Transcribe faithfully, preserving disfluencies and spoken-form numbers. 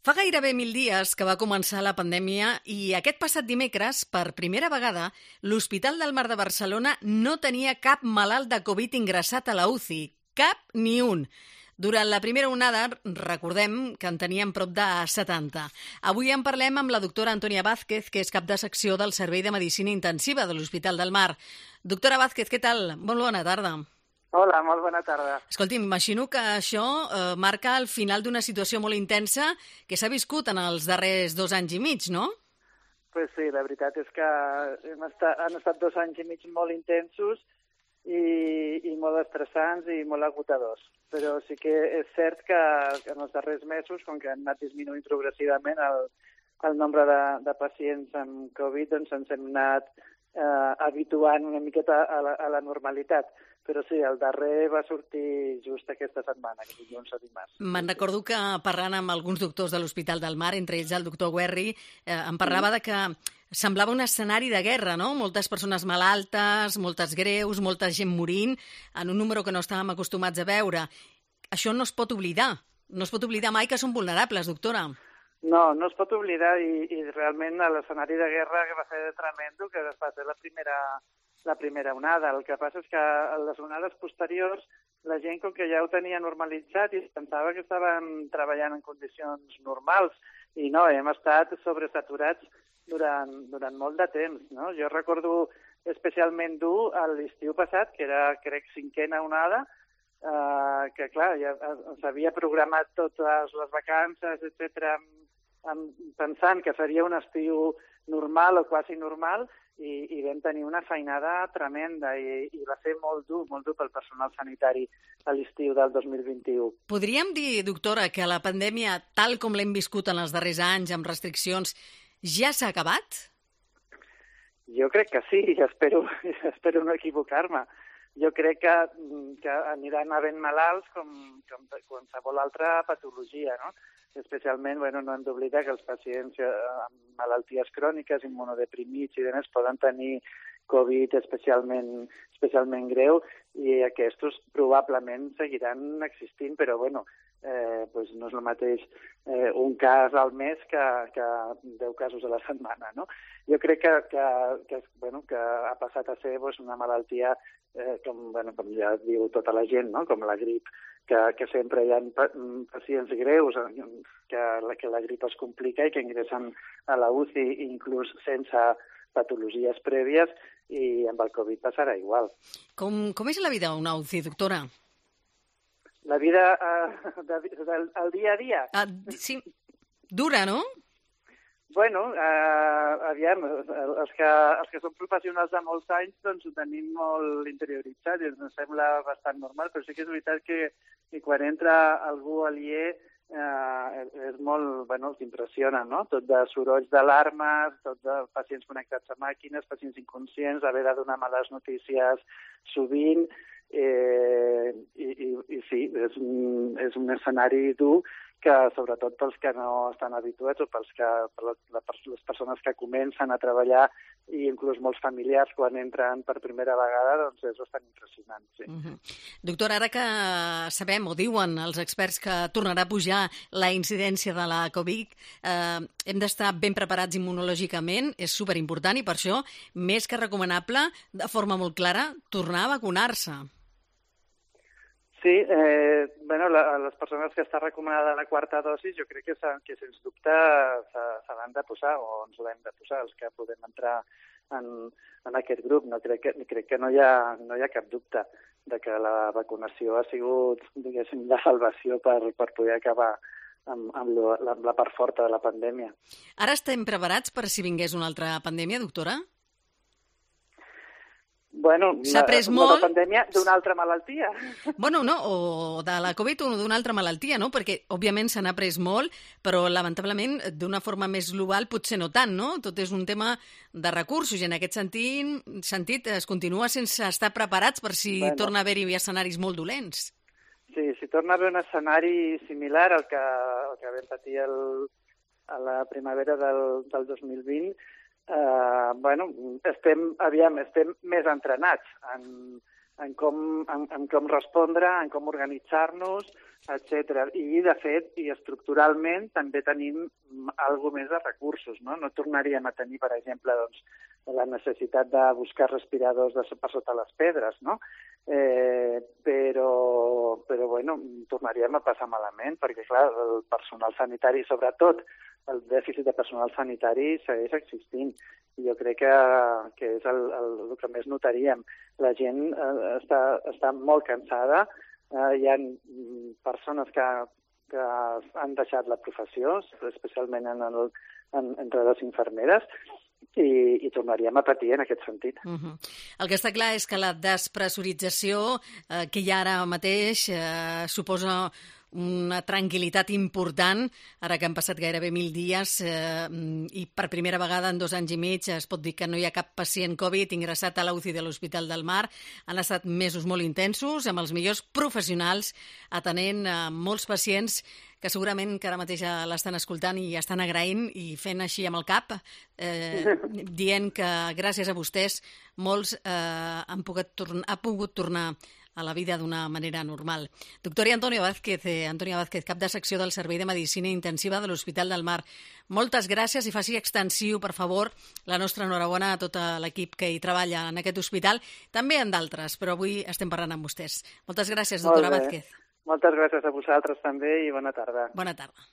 Fa gairebé mil dies que va començar la pandèmia i aquest passat dimecres, per primera vegada, l'Hospital del Mar de Barcelona no tenia cap malalt de Covid ingressat a la U C I. Cap ni un. Durant la primera onada, recordem que en teníem prop de setanta. Avui en parlem amb la doctora Antònia Vázquez, que és cap de secció del Servei de Medicina Intensiva de l'Hospital del Mar. Doctora Vázquez, què tal? Molt bona tarda. Hola, molt bona tarda. Escolti, m'imagino que això eh, marca el final d'una situació molt intensa que s'ha viscut en els darrers dos anys i mig, no? Pues sí, la veritat és que hem estat, han estat dos anys i mig molt intensos i, i molt estressants i molt agotadors. Però sí que és cert que, que en els darrers mesos, com que han anat disminuint progressivament el, el nombre de, de pacients amb Covid, doncs ens hem anat eh, habituant una miqueta a la, a la normalitat. Però sí, el darrer va sortir just aquesta setmana, que dilluns o dimarts. Me'n recordo que parlant amb alguns doctors de l'Hospital del Mar, entre ells el doctor Guerri, eh, em parlava de que semblava un escenari de guerra, no? Moltes persones malaltes, moltes greus, molta gent morint, en un número que no estàvem acostumats a veure. Això no es pot oblidar. No es pot oblidar mai que són vulnerables, doctora. No, no es pot oblidar i, i realment l'escenari de guerra que va ser tremendo, que va ser la primera... la primera onada. El que passa és que a les onades posteriors la gent, com que ja ho tenia normalitzat i pensava que estaven treballant en condicions normals, i no, hem estat sobresaturats durant, durant molt de temps, no? Jo recordo especialment dur a l'estiu passat, que era, crec, cinquena onada, eh, que, clar, ja s'havia programat totes les vacances, etcètera, pensant que seria un estiu normal o quasi normal, i, i vam tenir una feinada tremenda i, i va ser molt dur, molt dur pel personal sanitari a l'estiu del dos mil vint-i-u. Podríem dir, doctora, que la pandèmia, tal com l'hem viscut en els darrers anys, amb restriccions, ja s'ha acabat? Jo crec que sí, espero, espero no equivocar-me. Jo crec que, que aniran havent malalts com, com qualsevol altra patologia, no? Especialment, bueno, no hem d'oblidar que els pacients amb malalties cròniques, immunodeprimits i demés poden tenir Covid especialment, especialment greu i aquests probablement seguiran existint, però bueno, eh, pues no és el mateix eh, un cas al mes que, que deu casos a la setmana, no? Jo crec que, que, que, bueno, que ha passat a ser pues, una malaltia, eh, com, bueno, com ja diu tota la gent, no? Com la grip, que, que sempre hi ha pacients greus, que la, que la grip es complica i que ingressen a la U C I inclús sense patologies prèvies, i amb el Covid passarà igual. Com, com és la vida a una U C I, doctora? La vida uh, de, del el dia a dia? Uh, sí, dura, no? Bueno, uh, aviam, els que, els que som professionals de molts anys doncs ho tenim molt interioritzat i ens sembla bastant normal, però sí que és veritat que, que quan entra algú aliè Uh, és molt, bueno, t'impressiona, no? Tot de sorolls d'alarmes, tot de pacients connectats a màquines, pacients inconscients, haver de donar males notícies sovint, eh, i, i, i sí, és un, és un escenari dur que, sobretot pels que no estan habituats o pels que, per les persones que comencen a treballar i inclús molts familiars quan entren per primera vegada, doncs és bastant impressionant, sí. Uh-huh. Doctor, ara que sabem o diuen els experts que tornarà a pujar la incidència de la Covid, eh, hem d'estar ben preparats immunològicament, és superimportant i per això, més que recomanable, de forma molt clara, tornar a vacunar-se. Sí, eh, bueno, la, les persones que està recomanada la quarta dosi jo crec que, que sens dubte se, se l'han de posar o ens l'hem de posar, els que podem entrar en, en aquest grup. No, crec que, crec que no, hi ha, no hi ha cap dubte de que la vacunació ha sigut, diguéssim, la salvació per, per poder acabar amb, amb, lo, la, amb la part forta de la pandèmia. Ara estem preparats per si vingués una altra pandèmia, doctora? Bueno, s'ha pres una, molt... una pandèmia d'una altra malaltia. Bueno, no, o de la Covid o d'una altra malaltia, no? Perquè, òbviament, se n'ha pres molt, però, lamentablement, d'una forma més global, potser no tant, no? Tot és un tema de recursos i, en aquest sentit, sentit es continua sense estar preparats per si bueno. torna a haver-hi escenaris molt dolents. Sí, si torna a haver un escenari similar al que, al que vam patir el, a la primavera del, del dos mil vint, Uh, bueno, estem, aviam, estem més entrenats en, en com, en, en com respondre, en com organitzar-nos, etcètera. I, de fet, i estructuralment també tenim alguna més de recursos, no? No tornaríem a tenir, per exemple, doncs, la necessitat de buscar respiradors de, per sota les pedres, no? Eh, però, però, bueno, tornaríem a passar malament, perquè, clar, el personal sanitari, sobretot, el dèficit de personal sanitari segueix existint. I jo crec que, que és el, el, el que més notaríem. La gent eh, està, està molt cansada, eh, hi ha persones que, que han deixat la professió, especialment en el, en, entre les infermeres, i, i tornaríem a patir en aquest sentit. Uh-huh. El que està clar és que la despressurització eh, que hi ha ara mateix eh, suposa una tranquil·litat important, ara que han passat gairebé mil dies eh, i per primera vegada en dos anys i mig es pot dir que no hi ha cap pacient Covid ingressat a la U C I de l'Hospital del Mar. Han estat mesos molt intensos, amb els millors professionals, atenent a molts pacients que segurament que ara mateix l'estan escoltant i estan agraint i fent així amb el cap, eh, dient que gràcies a vostès molts eh, han pogut, torn- ha pogut tornar a la vida d'una manera normal. Doctora Antonia Vázquez, eh, Antonia Vázquez, cap de secció del Servei de Medicina Intensiva de l'Hospital del Mar. Moltes gràcies i faci extensiu, per favor, la nostra enhorabona a tot l'equip que hi treballa en aquest hospital, també en d'altres, però avui estem parlant amb vostès. Moltes gràcies, doctora Vázquez. Moltes gràcies a vosaltres també i bona tarda. Bona tarda.